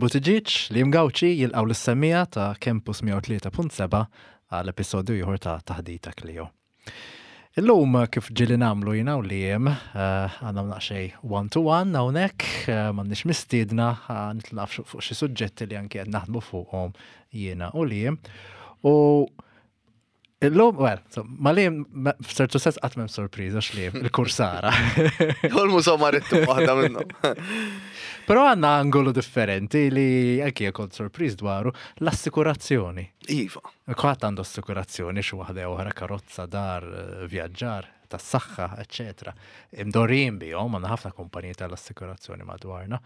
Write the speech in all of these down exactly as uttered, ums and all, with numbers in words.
Buttigieg, Liam Gauci jilqgħu lis-semmiegħa ta' Campus mija u tlieta punt sebgħa għal episodju ieħor ta' Taħdita Klio. Illum, kif ġieli nagħmlu jiena u Liam, eh, għandna naqxej one to one hawnhekk, eh, m'għandniex mistiedna, eh, nitlaq fuq xi suġġetti li anke qed naħdmu fuqhom jiena u Liam. U illum, well, so, ma Liam, f'ċertu sens qatt m'hemm sorpriża x'Liam, il-kursara. Ol-mużew marittimu waħda minnhom. Però għandna angolu differenti li anki kont sorpriż dwaru, l-assikurazzjoni. Iva. Kulħadd għandu assikurazzjoni xi waħda jew oħra, karozza, dar, eh, vjaġġar, tas-saħħa, eċetera. Imdorrijin bihom, għandna ħafna kumpaniji tal-assikurazzjoni madwarna.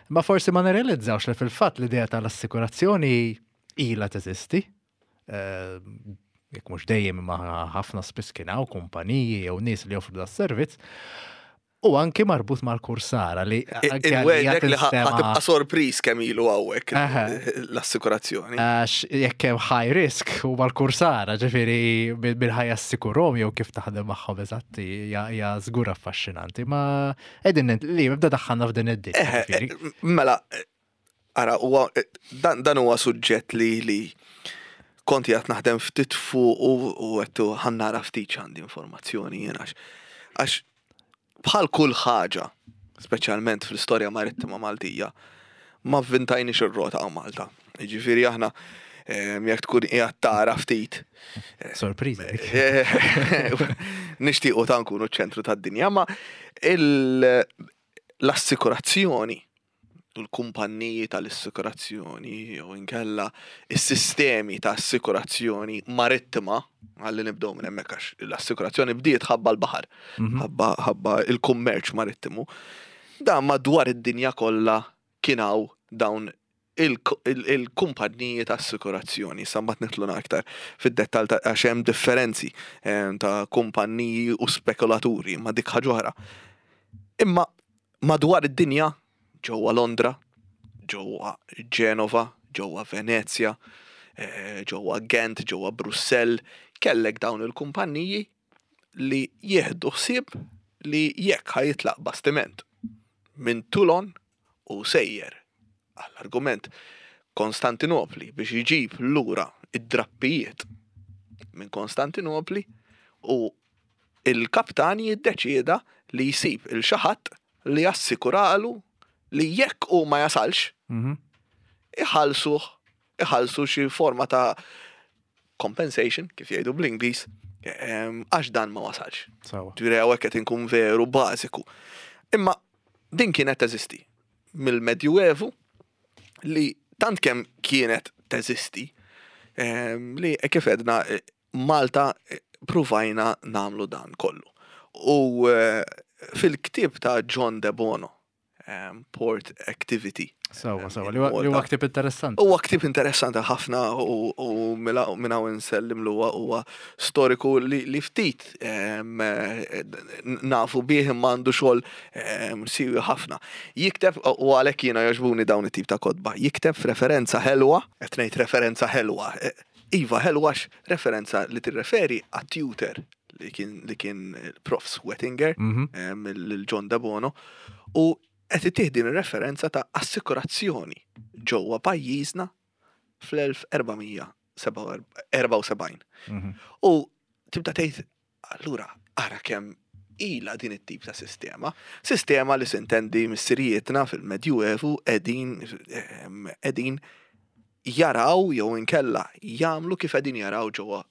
Ma forsi ma nirrealizzawx li fil-fatt l-idea tal-assikurazzjoni ilha teżisti. Eh, Jekk mhux dejjem, imma ħafna spiss kien hawn kumpaniji jew nies li joffru das-servizz. U anki marbut mal-kursara li anki għalija Inwegħdek li tinstema- ħa tibqa' sorpriż kemm ilu hawnhekk Aha. l-assikurazzjoni. Għax jekk hemm high risk u mal-kursara, ġifieri bil-ħajja assikurhom jew kif taħdem magħhom eżatti, hija hija żgur affaxxinanti. Ma qegħdin li nibda daħħalna f'din id-dinja. Eh, Ġifieri. eh, Mela, eh, ara, huwa dan dan huwa suġġett li li kont qiegħed naħdem ftit fuq u u għedtu ħa nara ftit x'għandi informazzjoni jien, għax għax bħal kull ħaġa, speċjalment fl-istorja marittima Maltija, ma vvintajniex ir-rota hawn Malta. Jiġifieri aħna em, jekk tkun qiegħed tara ftit Sorpriża dik. nixtiequ ta' nkunu ċ-ċentru tad-dinja, ma il- l-assikurazzjoni u l-kumpanniji tal-assikurazzjoni jew inkella is-sistemi ta' assikurazzjoni marittima, għalli nibdew minn hemmhekk għax l-assikurazzjoni bdiet ħabba l-baħar, Mhm. ħabba ħabba il-kummerċ marittimu. Dan madwar id-dinja kollha kien hawn dawn il-kumpanniji ta' assikurazzjoni. Sa mbagħad nidħlu aktar fid-dettall ta' għax hemm differenzi eh, ta' kumpanniji u spekulaturi, ma dik ħaġa oħra. Imma madwar id-dinja, ġewwa Londra, ġewwa Ġenova, ġewwa Venezja, eh, ġewwa Gent, ġewwa Brussell, kellek dawn il-kumpanniji li jieħdu ħsieb li jekk ħa jitlaq bastiment minn Toulon u sejjer għall-argument Konstantinopli biex iġib lura id-drappijiet minn Konstantinopli, u il-kaptan jiddeċieda li jsib lil xi ħadd li jassikuralu li jekk u ma jasalx Mhm. iħallsuh iħallsu xi forma ta' compensation, kif jgħidu bl-Ingliż, em, għax dan ma wasalx. Sewwa. Ġifieri hawnhekk qed inkun veru bażiku. Imma din kienet teżisti mill-Medjuevu, li tant kemm kienet teżisti em, li eh, kif edna eh, Malta eh, pruvajna nagħmlu dan kollu. U eh, fil-ktib ta' John De Bono, em, Port Activity. Sewwa, sewwa. in Li huwa- li huwa Malta. ktib interessanti. Huwa ktib interessanti ħafna u, u mela- minn hawn insellimlu, huwa huwa storiku li, li ftit em, eh, nafu bih, imma għandu xogħol em, siwi ħafna. Jikteb, u għalhekk jiena jogħġbuni dawn it-tip ta' kotba, jikteb referenza ħelwa, qed ngħid referenza ħelwa. eh, Iva ħelwa għax referenza li tirreferi għat-tutor li kien li kien Prof Wettinger, Mhm. em, il-John De Bono, u qed ittih din ir-referenza ta' assikurazzjoni ġewwa pajjiżna fl-elf erba' mija erbgħa u sebgħin. Mhm. U tibda tgħid allura ara kemm ila din it-tip ta' sistema. Sistema li sintendi missirijietna fil-Medjuevu qegħdin em, qegħdin jaraw jew inkella jagħmlu kif qegħdin jaraw ġewwa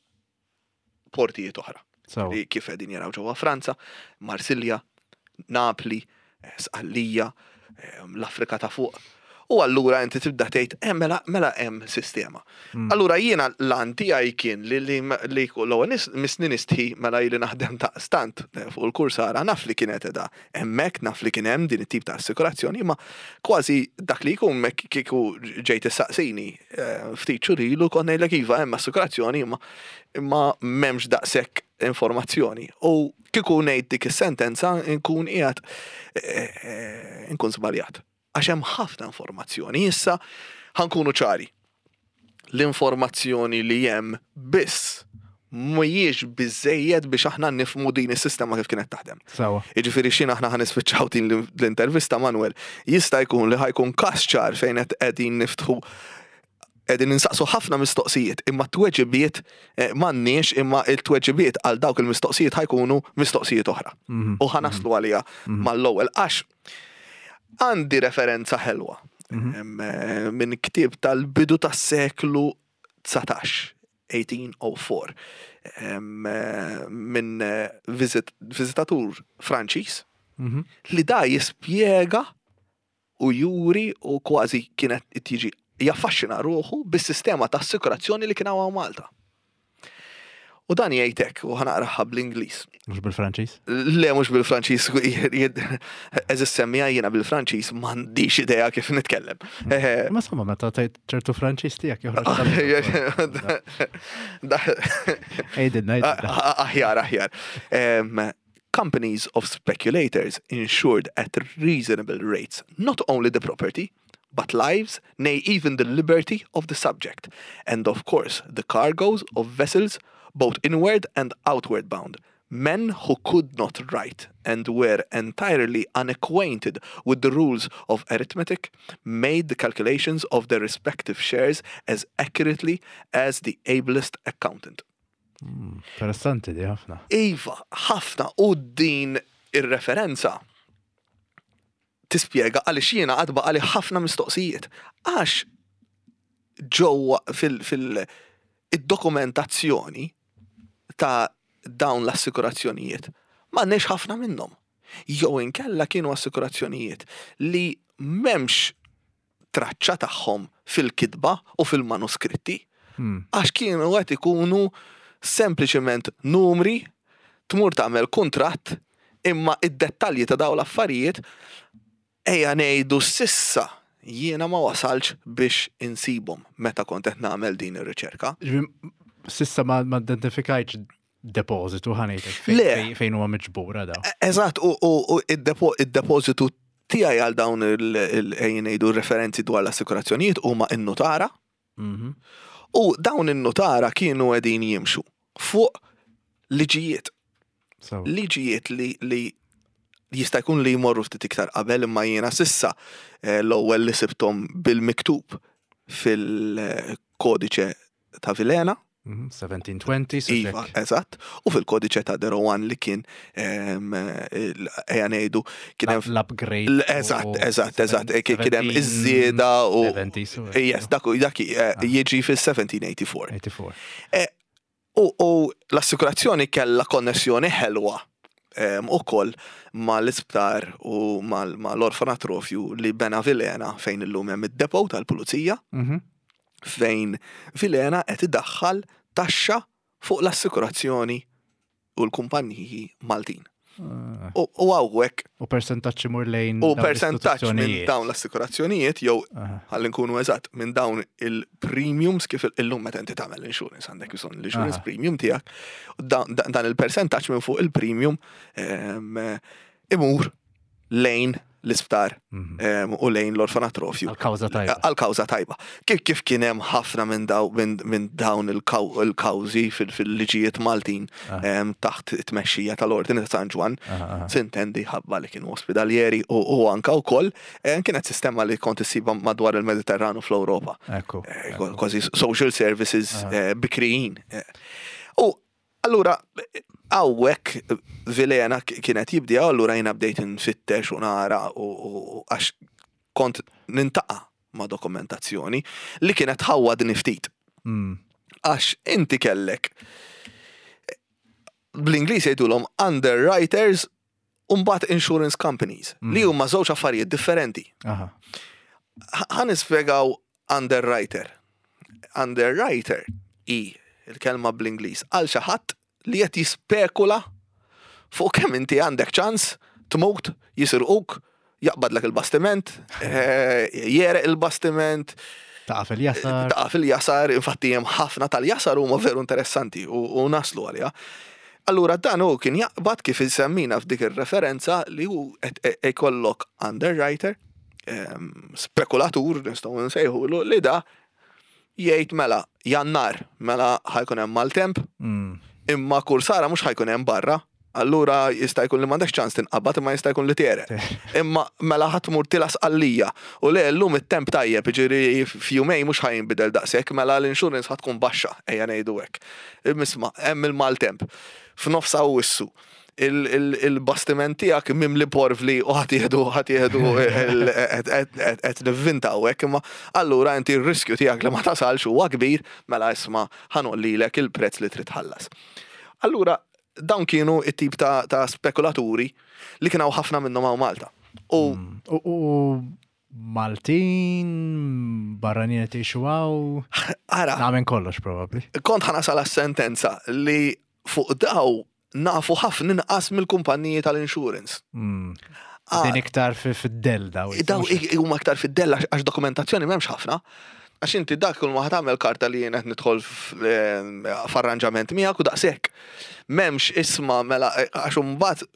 portijiet oħra Sewwa. li kif qegħdin jaraw ġewwa Franza, Marsilja, Napli, eh, Sqallija, eh, l-Afrika ta' fuq. U allura inti tibda tgħid, eh, mela mela hemm sistema. Mm. Allura jiena l-għan tiegħi kien li li li l-ewwel nis- misni nistħi mela ili naħdem ta' stant eh, fuq il-kursara, naf li kienet edha hemmhekk, naf li kien hemm din it-tip ta' assikurazzjoni, imma kważi dak li jkun mek kieku ġejt issaqsini eh, ftit xhur ilu kont ngħidlek iva, hemm assikurazzjoni, imma imma m'hemmx daqshekk informazzjoni. U kieku ngħid dik is-sentenza nkun qiegħed eh, eh, nkun żbaljat. Għax hemm ħafna informazzjoni. Issa ħa nkunu ċari. L-informazzjoni li hemm biss Mhijiex biżejjed biex aħna nifhmu din is-sistema kif kienet taħdem. Sawa. Jiġifieri xin aħna ħa nispiċċaw din l-intervista, Manuel, jista' jkun li ħa jkun każ ċar fejn qed qegħdin niftħu, qegħdin ninsaqsu ħafna mistoqsijiet, imma t-tweġibiet eh, m'għandniex, imma il-tweġibiet għal dawk il-mistoqsijiet ħa jkunu mistoqsijiet oħra. Mhm. U ħa naslu għalija mal-ewwel għax għandi referenza ħelwa Mhm. em, eh, minn ktieb tal-bidu tas-seklu dsatax, eighteen oh four, em, eh, minn eh, visit, viżitatur Franċiż Mhm. li da jispjega u juri u kważi kienet tiġi jaffaxxina ruħu bis-sistema ta' assikurazzjoni li kien hawn Malta. U dan jgħidlek, u ħa naqraha bl-Ingliż. Mhux bil-Franċiż? Le, mhux bil-Franċiż, eżis semmija jiena bil-Franċiż m'għandix idea kif nitkellem. Eh, Ma somma, meta tgħid ċertu Franċiż tiegħek joħroġ. Da- Ejdilna, ejdilna. Aħjar, aħjar. Um, companies of speculators insured at reasonable rates not only the property, but lives, nay, even the liberty of the subject, and of course the cargoes of vessels both inward and outward bound. Men who could not write and were entirely unacquainted with the rules of arithmetic made the calculations of their respective shares as accurately as the ablest accountant. Interessanti di ħafna. Iva, ħafna, u din ir-referenza tispjega għaliex jiena għad baqali ħafna mistoqsijiet. Għax ġewwa fil- fil- id-dokumentazzjoni ta' dawn l-assikurazzjonijiet m'għandniex ħafna minnhom. Jew inkella kienu assikurazzjonijiet li m'hemmx traċċa tagħhom fil-kitba u fil-manuskritti Hmm. għax kienu qed ikunu sempliċement numri, tmur tagħmel kuntratt, imma id-dettalji ta' dawn l-affarijiet, ejja ngħidu, s'issa jiena ma wasalx biex insibhom meta kont qed nagħmel din ir-riċerka. Ġifieri, s'issa ma ma identifikajtx depożitu, ħa ngħidlek, fejn- Le. fejn- fejn huwa miġbura daw. E- Eżatt, u, u, u id-depo- id-depożitu tiegħi għal dawn il- il- ejja ngħidu referenzi dwar l-assikurazzjonijiet huma in-nutara. Mhm. U dawn in-nutara kienu qegħdin jimxu fuq liġijiet. So, Liġijiet li, li jista' jkun li jmorru ftit iktar qabel, imma jiena s'issa eh, l-ewwel li sibthom bil-miktub fil-kodiċe ta' Vilhena. mhm, seventeen twenty, so Iva, ġek. eżatt, u fil-kodiċe ta' De Rohan li kien em, il- ejja ngħidu kien hemm L-upgrade. l- Eżatt, eżatt, eżatt, eh, kien hemm iż-żieda u seventy, so Yes, dak dak eh, Ah. jiġi fil-seventeen eighty-four. eighty-four. U, u l-assikurazzjoni kella konnessjoni ħelwa em, ukoll mal-isptar u mal- mal-orfanatrofju li bena Vilhena fejn illum hemm id-depot tal-pulizija, Mhm. fejn Vilhena qed idaħħal taxxa fuq l-assikurazzjoni u l-kumpaniji Maltin. Ah. U u hawnhekk U percentaġġ imur lejn u dawn percentaġġ minn l-istituzzjonijiet. dawn l-assikurazzjonijiet jew, Aha. ħalli nkunu eżatt, minn dawn il-premiums, kif illum meta inti tagħmel insurance għandek bżonn l-insurance Aha. premium tiegħek, u dan, dan dan il-percentaġġ minn fuq il-premium em, imur lejn l-isptar Mhm. em, u lejn l-orfanatrofju. Għal-kawża tajba. Għal-kawża tajba. Kif kif kien hemm ħafna minn daw, minn minn dawn il-kaw- il-kawżi fil- fil-liġijiet Maltin Ah. em, taħt it-tmexxija tal-Ordini ta' San Ġwann, Aha, aha. sintendi ħabba li kienu ospedalieri u, u anka wkoll eh, kienet sistema li kont issibha madwar il-Mediterranu fl-Ewropa. Ekku. Eh, ekku. Kważi social services Aha. eh, bikrijin. Eh, U allura hawnhekk Vilhena k- kienet jibdi, allura jiena bdejt nfittex u nara u u- u għax kont niltaqa' ma' dokumentazzjoni li kienet ħawwadni ftit. Mm. Għax inti kellek bl-Ingliż jgħidulhom underwriters u mbagħad insurance companies, li huma żewġ affarijiet differenti. Aha. Ħa nispjegaw underwriter. Underwriter i il-kelma bl-Ingliż għal xi ħadd li qed jispekula fuq kemm inti għandek ċans tmut, jisirquk, jaqbadlek il-bastiment, eh, jegħreq il-bastiment, Taqa' fil-jasar. taqa' fil-jasar, infatti hemm ħafna tal-jasar huma veru interessanti u, u naslu għalija. Allura dan hu kien jaqbad, kif insemmina f'dik ir-referenza, li hu qed e- ikollok underwriter, em, spekulatur nistgħu nsejħulu, li da jgħid mela Jannar, mela ħa jkun hemm maltemp, Mm. Imma kursara mhux ħa jkun hemm barra. Allura jista' jkun li m'għandekx ċans tinqabad, imma jista' jkun li tegħreq. Imma mela ħa tmur tila Sqallija u le, llum it-temp tajjeb, jiġifieri f'jumejn mhux ħa jinbidel daqshekk, mela l-insurance ħa tkun baxxa, ejja ngħidu hekk. Isma', hemm il-maltemp. F'nofs Awwissu il-bastiment tiegħek mimli porvli u ħa tieħdu ħa tieħdu qed nivvintaw hekk, imma allura inti r-riskju tiegħek li ma tasalx huwa kbir, mela isma', ħa ngħollilek il-prezz li trid tħallas. Allura dawn kienu it-tip ta', ta spekulaturi li kienu ħafna minnhom hawn Malta. U U u Maltin, barranin qed jgħixu hawn, ara, nagħmel kollox probabbli. Kont ħa nasal sentenza li fuq daw nafu ħafna inqas mill-kumpaniji tal-insurance. Mm. Ah. Din iktar fi- fid-dell daw. Daw i- huma aktar fid-dell għax għax dokumentazzjoni m'hemmx ħafna. Għax inti dak kull ma tagħmel karta li jien qed nidħol f- eh, f'arranġament miegħek u daqshekk. M'hemmx isma', mela eh, għax imbagħad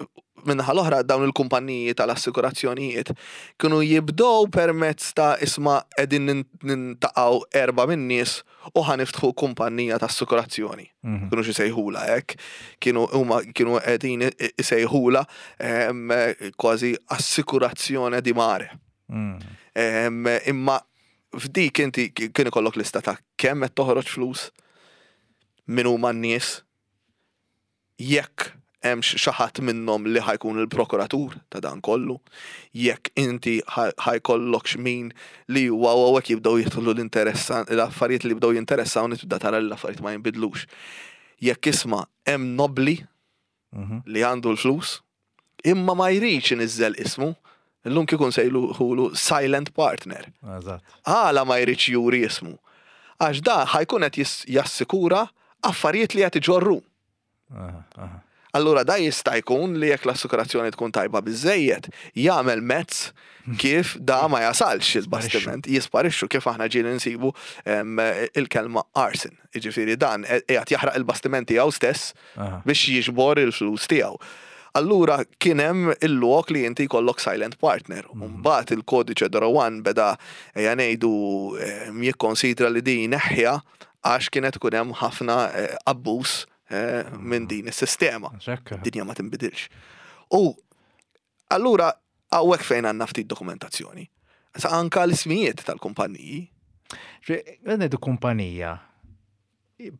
minnaħa l-oħra dawn il-kumpaniji tal-assikurazzjonijiet kienu jibdow permezz ta' isma', qegħdin nin- nintaqgħu erba' min-nies u ħa niftħu kumpanija ta' assikurazzjoni. Mhm. Kienu xi sejħula hekk, kienu huma kienu qegħdin isejħula em, kważi assikurazzjoni di mare. Mm. Em, Imma f'dik inti kien ikollok lista ta' kemm qed toħroġ flus, min huma n-nies, jekk hemm xi ħadd minnhom li ħa jkun il-prokuratur ta' dan kollu, jekk inti ħa jkollok min li huwa u hekk jibdew jidħlu l-interessan l-affarijiet li jibdew jinteressaw, tibda tara li l-affarijiet ma jinbidlux. Jekk isma', hemm nobli Mhm. li għandu l-flus, imma ma jridx iniżżel ismu, illum kieku nsejħulu silent partner. Eżatt. Għala ma jridx juri ismu? Għax da ħa jkun qed jis- jassikura affarijiet li qed iġorru. Aha, aha. Allura da jista' jkun li jekk l-assikurazzjoni tkun tajba biżejjed, jagħmel mezz kif da ma jasalx il-bastiment, jisparixxu, kif aħna ġieli nsibu em, il-kelma arson. Jiġifieri dan qiegħed jaħraq il-bastiment tiegħu stess Aha. biex jiġbor il-flus tiegħu. Allura kien hemm il-lok li inti jkollok silent partner. Mbagħad il-kodiċe d'Oro one beda, ejja ngħidu, em, jikkonsidra li din neħħja għax kienet ikun hemm ħafna eh, abbuż eh, minn din is-sistema. Xekka. Dinja ma tinbidilx. U allura hawnhekk fejn għandna ftit dokumentazzjoni. Sa anka l-ismijiet tal-kumpanniji. Ngħidu kumpanija.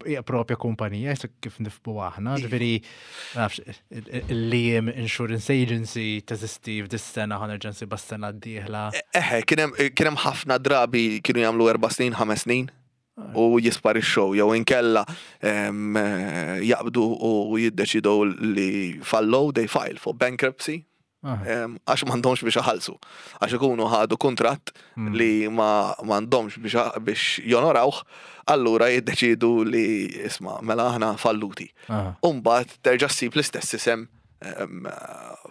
Hija propja kumpanija, jisa kif nifhmu aħna, ġifieri, nafx, il-Liam Insurance Agency teżisti f'dis-sena, ħa nerġa' nsibha s-sena d-dieħla. Eħe, kien hemm kien hemm ħafna drabi kienu jagħmlu erba' snin, ħames snin u jisparixxew jew inkella em, eh, jaqbdu u jiddeċidu li fallow, they file for bankruptcy Aha. em, għax m'għandhomx biex iħallsu. Għax ikunu ħadu kuntratt li ma m'għandhomx biex biex jonorawh, allura jiddeċidu li isma', mela aħna falluti. Aha. Umbagħad terġa' ssib l-istess isem em,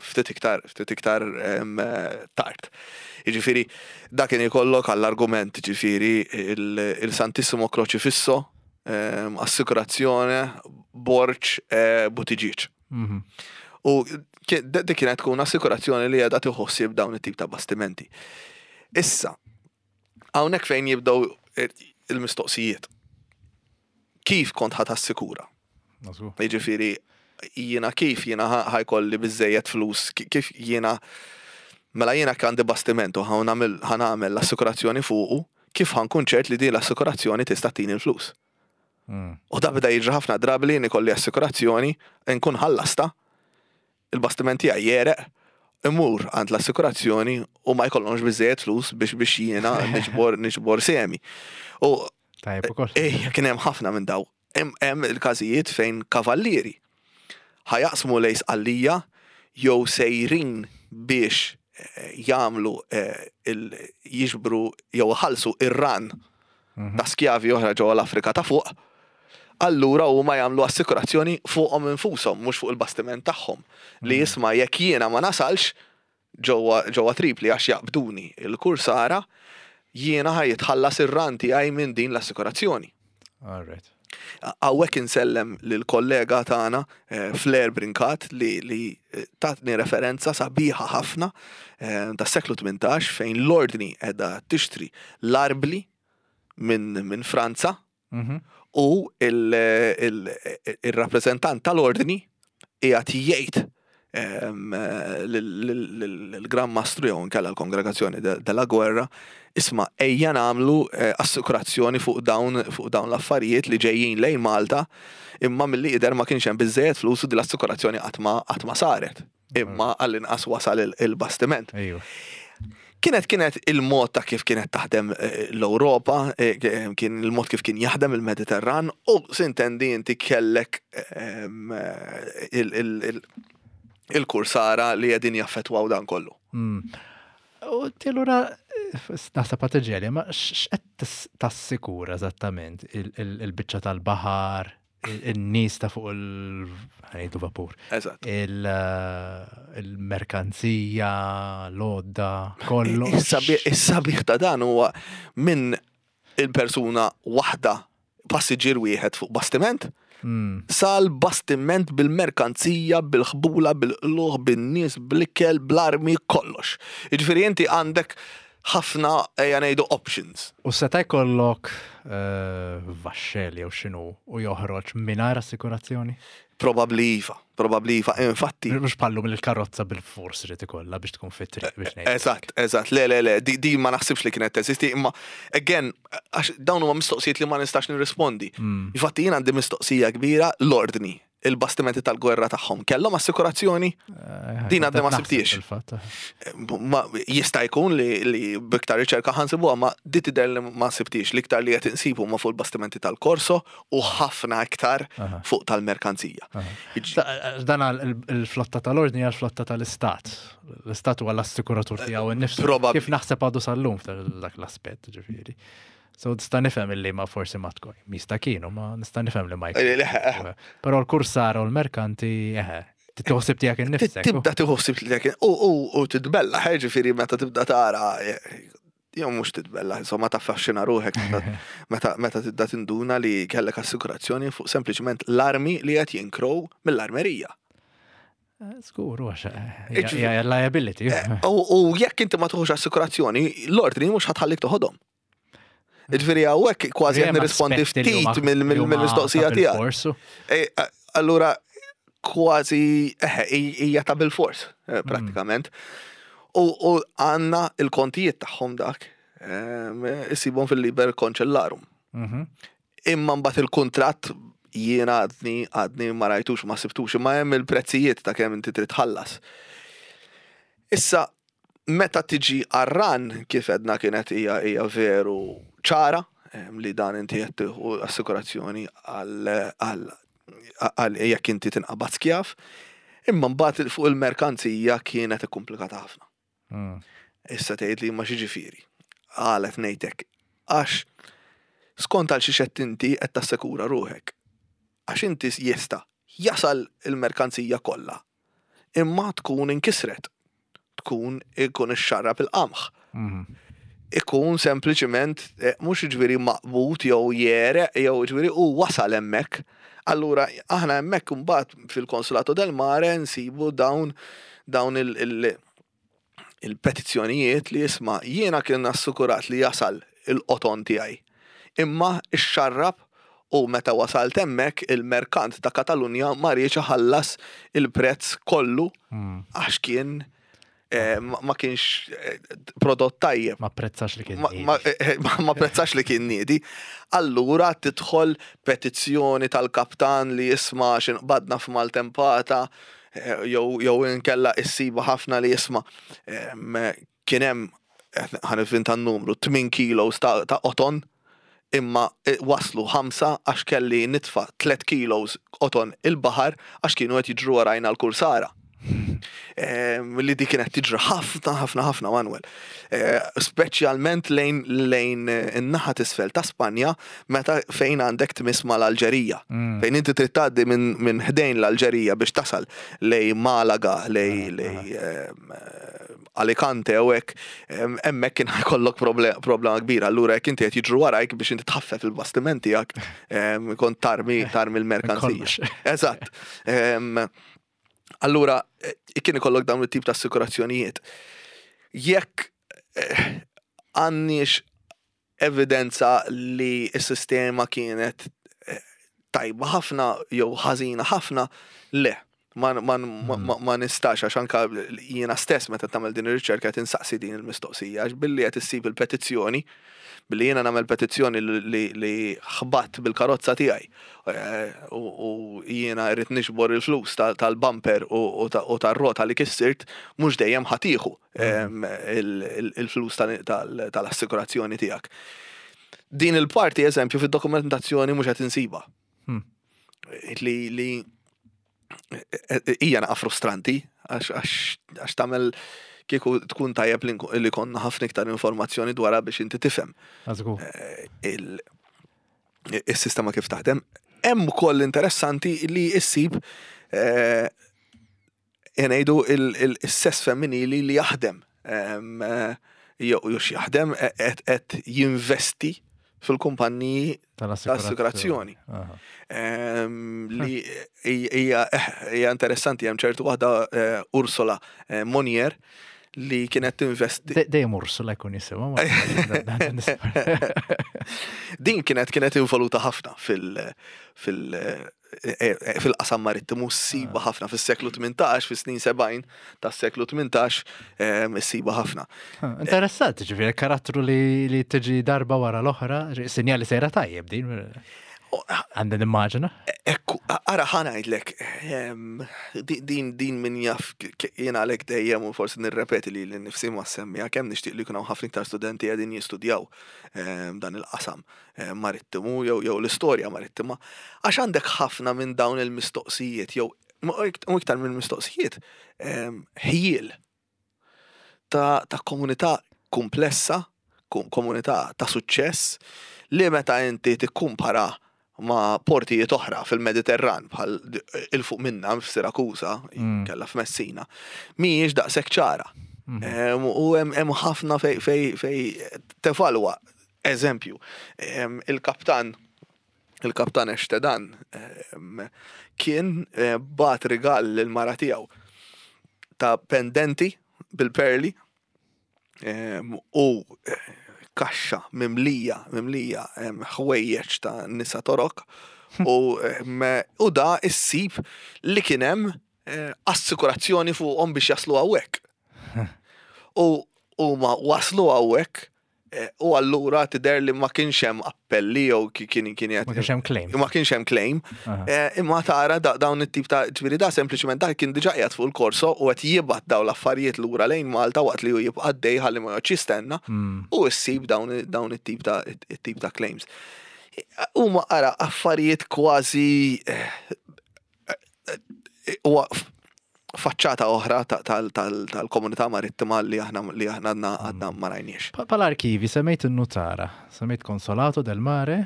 ftit iktar ftit iktar em, tard. Jiġifieri dak kien ikollok għall-argument, jiġifieri il- il-Santissimo Crocifisso em, assikurazzjoni Borg eh, Buttigieg. Mhm. U ki- dik kienet tkun assikurazzjoni li qiegħda tħossib dawn it-tip ta' bastimenti. Issa, hawnhekk fejn jibdew il-mistoqsijiet. Kif kont ħa tassikura? Nażgur. Jiġifieri jiena kif jiena ħa- ħa jkolli biżejjed flus, ki- kif jiena, mela jiena għandi bastiment u ħa nagħmel ħa nagħmel l-assikurazzjoni fuqu, kif ħa nkun ċert li din l-assikurazzjoni tista' tini l-flus? Mm. U da beda jiġri ħafna drabi li jien ikolli assikurazzjoni, nkun ħallasta, il-bastiment tiegħi jegħreq, imur għand l-assikurazzjoni u ma jkollhomx biżejjed flus biex biex jiena niġbor niġbor semi. U Tajjeb ukoll. Ejja, kien hemm ħafna minn daw. Hemm hemm il-każijiet fejn kavallieri ħa jaqsmu lejn Sqallija jew sejrin biex eh, jagħmlu eh, il- jiġbru jew ħalsu ir-ran Mhm. ta' skjavi oħra ġewwa l-Afrika ta' fuq. Allura huma jagħmlu assikurazzjoni fuqhom infushom, mhux fuq il-bastiment tagħhom. Li jisma', jekk jiena ma nasalx ġewwa ġewwa Tripli għax jaqbduni il-kursara, jiena ħa jitħallas ir-ran tiegħi minn din l-assikurazzjoni. All right. Hawnhekk insellem lill-kollega tagħna eh, Flair Brinkat li, li eh, tatni referenza sabiħa ħafna eh, tas seklu tmintax fejn l-ordni qiegħda tixtri l-arbli minn min Franza Mhm. U il-rappreżentant tal-ordni qiegħed jgħid l-Gran Mastru jew nkella l-Kongregazzjoni della Gwerra, isma', ejja nagħmlu eh, assikurazzjoni fuq dawn fuq dawn l-affarijiet li ġejjin lejn Malta, imma milli jidher ma kienx hemm biżejjed flus u din l-assikurazzjoni qatt ma qatt ma saret. Imma għall-inqas wasal il-bastiment. Kienet kienet il-mod ta' kif kienet taħdem eh, l-Ewropa, eh, kien il-mod kif kien jaħdem il-Mediterran u s'intendi inti kellek ehm, il-kursara li qegħdin jaffetwaw dan kollu. Mm. U allura naħseb għat ma x'qed tassikura eżattament il-biċċa tal-baħar, il-nies ta' fuq il- vapur. Eżatt. Il-merkanzija, l-għodda, kollu. Is-sabiħ ta' dan huwa minn il-persuna waħda, passiġġier wieħed fuq bastiment, Mm. sal-bastiment bil-merkanzija, bil-ħbula, bil-qluħ, bin-nies, bl-ikel, bl-armi, kollox. Jiġifieri inti għandek ħafna, ejja ngħidu, options. U seta' jkollok eh, vaxxel jew x'inhu u joħroġ mingħajr assikurazzjoni? Probabli iva, probabli iva, infatti. Mhux pallu mill-karozza bil-fors irid ikollha biex tkun fit-triq biex ngħid. Eżatt, eżatt, le, le, le, di, di ma naħsibx li kienet teżisti, imma again, għax dawn huma mistoqsijiet li ma nistax nirrispondi. Mm. Infatti jien għandi mistoqsija kbira: l-ordni, il-bastimenti tal-gwerra tagħhom kellhom assikurazzjoni? Eh, Din għadni ma sibtix. Fil-fatt. Ma jista' jkun li, li biktar riċerka ħa nsibuha, ma di tidher li ma sibtix. L-iktar li qed insibu ma fuq il-bastimenti tal-Korso u ħafna iktar Aha. fuq tal-merkanzija. Aha. Iġ- Da- Dan għal il- il-flotta tal-ordni għal flotta tal-istat. L-istat huwa l-assikuratur tiegħu innifsu. Probabli. Kif naħseb għadu sal-lum f'dak l-aspett, ġifieri. So nista' nifhem illi ma forsi ma tkun. Mista kienu, ma nista' nifhem li ma jkun. Eh, le, eh, Però l-kursara u l-merkanti, eħe, titħossib tiegħek innifsek. Tibda tħossib li dak u u u titbella, ġifieri meta tibda tara, jew mhux titbella, insomma taffaxxina ruħek meta- meta meta tibda tinduna li kellek assikurazzjoni fuq sempliċement l-armi li qed jinkrow mill-armerija. Żgur, għax Iġifieri- hija liability. U u jekk inti ma tieħux assikurazzjoni, l-ordni mhux ħa tħallik toħodhom. Ġifieri hawnhekk kważi qed nirrispondi ftit mill-mistoqsija tiegħek. E, a- Allura kważi eħe, hija ta' bil-fors, eh, prattikament. U u għandna il-kontijiet tagħhom dak, em, isibhom fil-Liber Concellarum. Mhm. Imma mbagħad il-kuntratt jiena għadni għadni ma rajtux, ma sibtux, imma hemm il-prezzijiet ta' kemm inti trid tħallas. Issa meta tiġi għar-ran, kif edna, kienet hija hija veru ċara em, li dan inti qed tieħu assikurazzjoni għal għal għal jekk inti tinqabad skjav, imma mbagħad fuq il-merkanzija kienet ikkumplikata ħafna. Mm. Issa tgħid li ma xiġifieri. Għalet ngħidlek għax skont għal xi qed inti qed tassekura ruħek. Għax inti jista' jasal il-merkanzija kollha. Imma tkun inkisret. Tkun ikun ixxarrab il-qamħ. Mhm. Ikun sempliċiment eh, mhux ġifieri maqbut jew jereq jew ġifieri u wasal hemmhekk. Allura aħna hemmhekk imbagħad fil-Consolato del Mare nsibu dawn dawn il- il- il-petizzjonijiet li jisma', jiena kien assikurat li jasal il-qoton tiegħi. Imma ixxarrab u meta wasalt hemmhekk il-merkant ta' Katalunja ma riedx iħallas il-prezz kollu Mm. għax kien eh, ma ma kienx eh, prodott tajjeb. Ma prezzax li kien. Ma, ma, eh, ma, ma prezzax li kien niedi. Allura tidħol petizzjoni tal-kaptan li jisma' x'inqbadna f'maltempata, eh, jew jew inkella issiba ħafna li jisma' em, kien hemm, ħa nivvinta n-numru, tmien kilos ta', ta' qoton imma eh, waslu ħamsa għax kelli nitfa' tliet kilos qoton il-baħar għax kienu qed jiġru warajna l-kursara. Em, li di kienet tiġri ħafna, ħafna, ħafna, Manuel. Eh, Speċjalment lejn lejn eh, in-naħa t'isfel ta' Spanja meta fejn għandek tmiss mal-Alġerija. Mm. Fejn inti trid tgħaddi minn min ħdejn l-Alġerija biex tasal lej Malaga, lej lej em, eh, Alicante u hekk, em, hemmhekk kien jkollok proble- problema kbira. Allura jekk inti qed jiġru warajk biex inti tħaffef il-bastiment tiegħek, em, kont tarmi tarmi l-merkanzija. Kollox. Eżatt. Em, Allura, eh, kien ikollok dawn it-tip ta' assikurazzjonijiet. Jekk eh, għandniex evidenza li s-sistema kienet Tajba ħafna jew ħażina ħafna, le. Ma, ma, ma, ma, ma nistax, għax anka jiena stess meta tagħmel din ir-riċerka qed insaqsi din il-mistoqsija, għax billi qed issib il-petizzjoni, billi jiena nagħmel petizzjoni li, li, li ħbatt bil-karozza tiegħi eh, u, u jiena rrid niġbor il-flus tal-bumper u, u tar-rota li kissirt, mhux dejjem ħa tieħu il-flus tal-assikurazzjoni tiegħek. Din il-parti, eżempju, fid-dokumentazzjoni mhux qed insiba. Hmm. Li li hija naqa frustranti għax tagħmel kieku tkun tajjeb li konna ħafna iktar informazzjoni dwarha biex inti tifhem eh, il-sistema kif taħdem. Hemm ukoll interessanti li issib eh, ngħidu il-sess femminili li jaħdem eh, jew jaħdem qed jinvesti fil-kumpanniji tal-assikurazzjoni. Li hija interessanti, hemm ċertu waħda, Ursula Monier, li kienet tinvesti. Dejjem Ursula jkun jisimha. Din kienet kienet involuta ħafna fil- fil- fil-qasam marittimu, ssiba ah. ħafna fis-seklu tmintax, fis-snin sebgħin tas-seklu tmintax, ssiba ħafna. Ah, interessanti, ġifieri karattru li, li tiġi darba wara l-oħra, sinjali sejra tajjeb din. Għandi nimmaġina. Ekku, ara, ħa ngħidlek, din din min jaf, jiena għalek dejjem u forsi nirrepeti li l-nifsi ma semmija kemm nixtieq li jkun hawn ħafna iktar studenti qegħdin jistudjaw dan il-qasam marittimu jew jew l-istorja marittima, għax għandek ħafna minn dawn il-mistoqsijiet jew u iktar minn mistoqsijiet, ħjiel ta' ta' komunità komplessa, komunità ta' suċċess li meta inti tikkumpara ma' portijiet oħra fil-Mediterran bħal 'il fuq minna f'Sirakusa, mm. kella f'Messina, mhijiex daqshekk ċara. Mm. U hemm ħafna fej fej fej tevalwa. Eżempju, il-kaptan il-kaptan Estedan kien eh, bagħat rigal lil mara tiegħu ta' pendenti bil-perli u eh, kaxxa mimlija, mimlija ħwejjeġ ta' nisa Torok u, u da issib li kien hemm eh, assikurazzjoni fuqhom biex jaslu hawnhekk. U huma waslu hawnhekk eh, u allura tidher li ma kienx hemm appelli jew kien kien Ma kienx hemm claim. Ma kienx hemm claim. Eh, imma tara dawn it-tip ta', ġifieri da sempliċement dak kien diġà qiegħed fuq il-korso u qed jibgħat dawn l-affarijiet lura lejn Malta waqt li hu jibqa' dej ħalli ma joqgħodx jistenna mm. u ssib dawn dawn it-tip ta' it-tip ta' claims. Huma, ara, affarijiet kważi eh, huwa faċċata oħra tal-komunità marittima li aħna li aħna għadna għadna ma rajniex. Pal-arkivi, semmejt il-nutara, semmejt Consolato del Mare,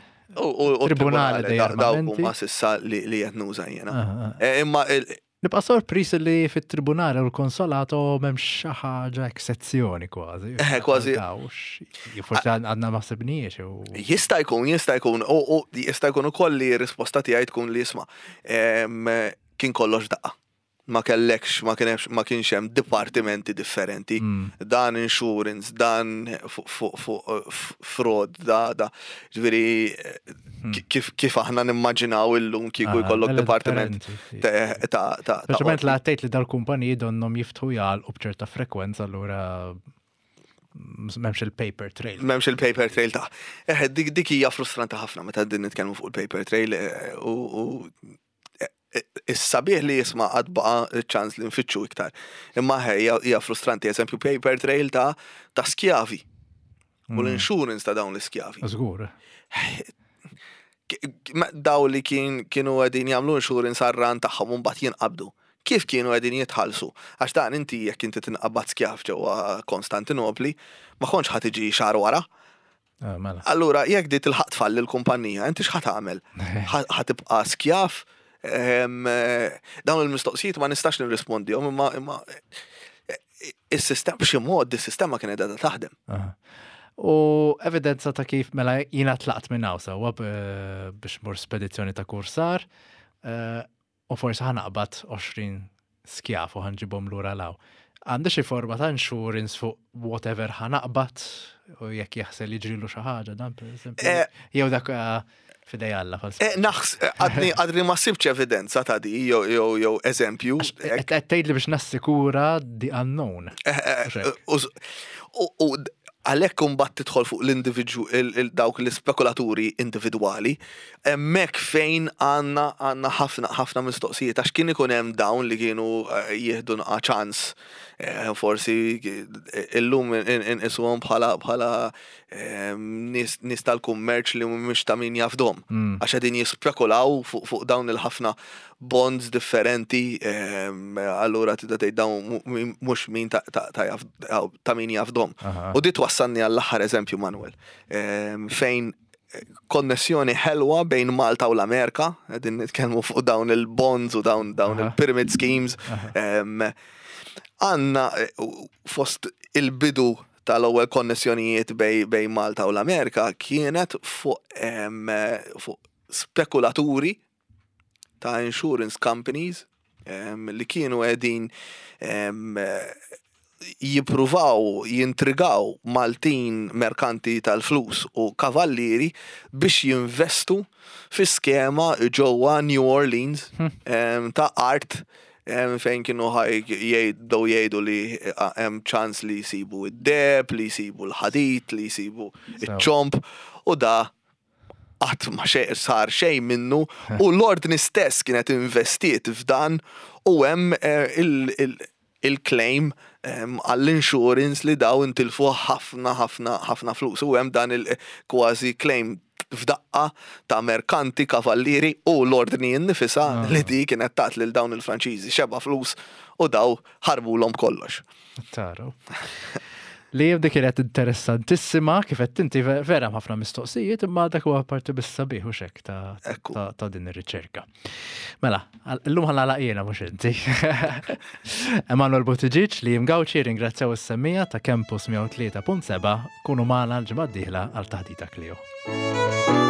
U Tribunale dei Dawk Armamenti. huma s'issa li li qed nuża jiena. Ah, ah. Eh, Imma il- Nibqa' sorpris li fit-tribunale u l-konsolato m'hemmx xi ħaġa sezzjoni kważi. Eh, kważi. Dawx. Forsi għadna ma sibniex. u- Jista' jkun, jista' jkun, u u jista' jkun ukoll li r-risposta tiegħi tkun li jisma' em, kien kollox daqqa. Ma kellekx, ma kienx ma kienx hemm dipartimenti differenti. Mm. Dan insurance, dan fuq fuq fuq fraud, da da. Ġifieri Hmm. kif kif aħna nimmaġinaw illum kieku Ah, jkollok mela dipartiment differenti, sì. ta' ta' ta' ta' Speċjalment la għattejt li dal-kumpaniji donnom jiftħu jgħal u bċerta frekwenza, allura m'hemmx il-paper trail. M'hemmx il-paper trail ta' eh, dik dik hija frustranti ħafna meta din nitkellmu fuq il-paper trail eh, u u eh, is-sabiħ li jisma' għad baqa ċans li nfittxu iktar. Imma hija hija frustranti, eżempju, paper trail ta' ta' skjavi u l-insurance ta' dawn l-iskjavi. Żgur. K- ma- Daw li kien kienu qegħdin jagħmlu insurance għar-ran tagħhom u mbagħad jinqabdu. Kif kienu qegħdin jitħallsu? Għax dan inti jekk inti tinqabad skjav ġewwa Konstantinopli, ma kontx ħa tiġi xahar wara. Ah, mela. Allura, jekk di tilħaq tfalli l-kumpanija, inti x'ħa tagħmel? Ħa tibqa' skjav? Ehm, eh, Dawn il-mistoqsijiet ma nistax nirrispondihom, imma imma eh, is-sistema b'xi mod is-sistema kienet qiegħda taħdem. Aha. U evidenza ta' kif mela jiena tlaqt minn hawn sewwa b- biex mur spedizzjoni ta' kursar eh, u forsi ħa naqbad għoxrin skjaf u ħa nġibhom lura 'l hawn. Għandi xi forma ta' insurance fuq whatever ħa naqbad u jekk jaħsel jiġrilu xi ħaġa dan, per eżempju? Eh. Jew dak eh, F'idejn Alla fal Eh, Naħs, eh, għadni għadni ma sibx evidenza ta' di, jew jew jew eżempju. Qed tgħidli biex nassikura the unknown. Eh, eh, Mhux hekk. U u għalhekk imbagħad tidħol fuq l-individwu dawk l-ispekulaturi individwali, hemmhekk fejn għandna għandna ħafna ħafna mistoqsijiet għax kien ikun hemm dawn li kienu eh, jieħdu naqra ċans eh, forsi eh, illum inqisuhom bħala bħala nies nies tal-kummerċ li mhumiex ta' min jafdahom. Mm. Għax qegħdin jispekulaw fuq fuq dawn il-ħafna bonds differenti, em, allura tibda tgħid dawn mu- mhux min ta' ta' ta' jaf- ta' min jafdahom. Aha. U di twassalni għall-aħħar eżempju, Manuel, em, fejn konnessjoni ħelwa bejn Malta u l-Amerika, qegħdin nitkellmu fuq dawn il-bonds u dawn dawn Aha. il-pyramid schemes. Em, Għandna eh, fost il-bidu tal-ewwel konnessjonijiet bej, bej Malta u l-Amerika kienet fuq em, fuq spekulaturi ta' insurance companies em, li kienu qegħdin em, jippruvaw jintrigaw Maltin merkanti tal-flus u kavallieri biex jinvestu fi skema ġewwa New Orleans em, ta' art em, fejn kienu ħaj jgħidu jgħidu li eh, hemm ċans li jsibu id-deheb, li jsibu l-ħadid, li jsibu iċ-ċomb u da qatt ma xej sar xejn minnu u l-ordni stess kienet investiet f'dan u hemm eh, il- il- il-claim em, għall-insurance li daw intilfu ħafna ħafna ħafna flus u hemm dan il-kważi claim f'daqqa ta' merkanti, kavallieri u l-ordni nnifisha Ah. li di kienet tat lil dawn il-Franċiżi xeba flus u daw ħarbulhom kollox. Taru. Li jibdi kienet interessantissima, kif qed inti ve- vera ħafna mistoqsijiet, imma dak huwa parti bis-sabiħ u xek ta' Ekku. ta' ta' din ir-riċerka. Mela, għal- illum ħa nagħlaq jiena mhux inti. Emanuel Buttigieg li jimgawċi ringrazzjaw is-semmiegħa ta' Campus mija u tlieta punt seba' kunu magħna l-ġimgħa d-dieħla għal Taħdita Klio.